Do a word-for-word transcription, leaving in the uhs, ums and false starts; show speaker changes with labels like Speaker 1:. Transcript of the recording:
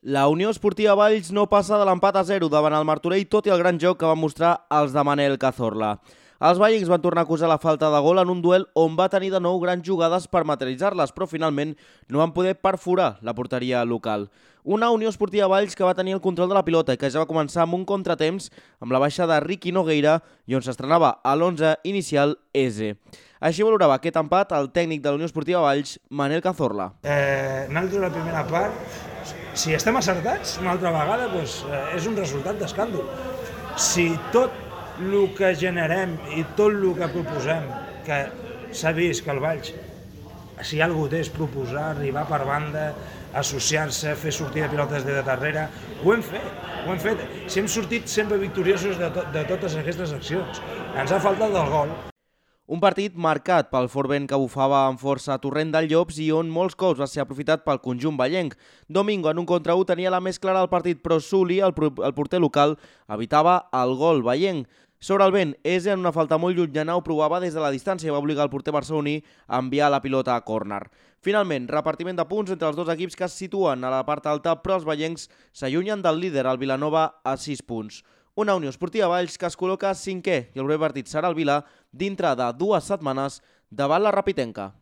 Speaker 1: La Unió Esportiva Valls no passa de l'empat a zero davant el Martorell, tot i el gran joc que van mostrar els de Manel Cazorla. Els vallencs van tornar a acusar la falta de gol en un duel on va tenir de nou grans jugades per materialitzar-les, però finalment no van poder perforar la porteria local. Una Unió Esportiva Valls que va tenir el control de la pilota i que ja va començar amb un contratemps amb la baixa de Ricky Nogueira i on s'estrenava a l'onze inicial Eze. Així valorava aquest empat el tècnic de la Unió Esportiva Valls, Manel Cazorla.
Speaker 2: Eh, nosaltres la primera part, si estem acertats una altra vegada, doncs, eh, és un resultat d'escàndol. Si tot el que generem i tot el que proposem, que s'ha vist que el Valls, si algú té és proposar, arribar per banda, associar-se, fer sortir de pilotes de darrere, ho hem fet, ho hem fet. Si hem sortit sempre victoriosos de, to de totes aquestes accions. Ens ha faltat el gol.
Speaker 1: Un partit marcat pel fort vent que bufava amb força a Torrent del Llops i on molts cops va ser aprofitat pel conjunt vallenc. Domingo en un contra u tenia la més clara del partit, però Suli, el, el porter local, evitava el gol vallenc. Sobre el vent, Eze en una falta molt llunyana ho provava des de la distància i va obligar el porter barceloní a enviar la pilota a córner. Finalment, repartiment de punts entre els dos equips que es situen a la part alta, però els vallencs s'allunyen del líder, el Vilanova, a sis punts. Una Unió Esportiva Valls que es col·loca cinquè i el proper partit serà el Vila dintre de dues setmanes davant la Rapitenca.